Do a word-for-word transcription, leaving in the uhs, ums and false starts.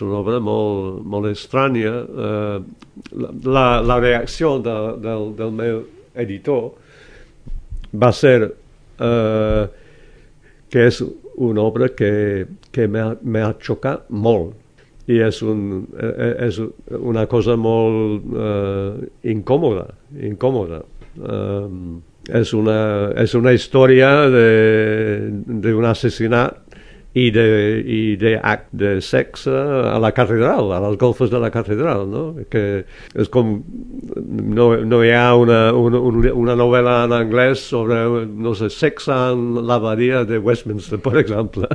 és una obra molt, molt estranya. Uh, la, la reacció de, del, del meu editor va ser uh, que és una obra que, que m'ha xocat molt. I és, un, és una cosa molt uh, incòmoda, incòmoda. Uh, és, una, és una història d'un assassinat i d'acte de, de sexe a la catedral, a les golfes de la catedral, no? Que és com no, no hi ha una, una, una novel·la en anglès sobre, no sé, sexe en l'abadia de Westminster, per exemple.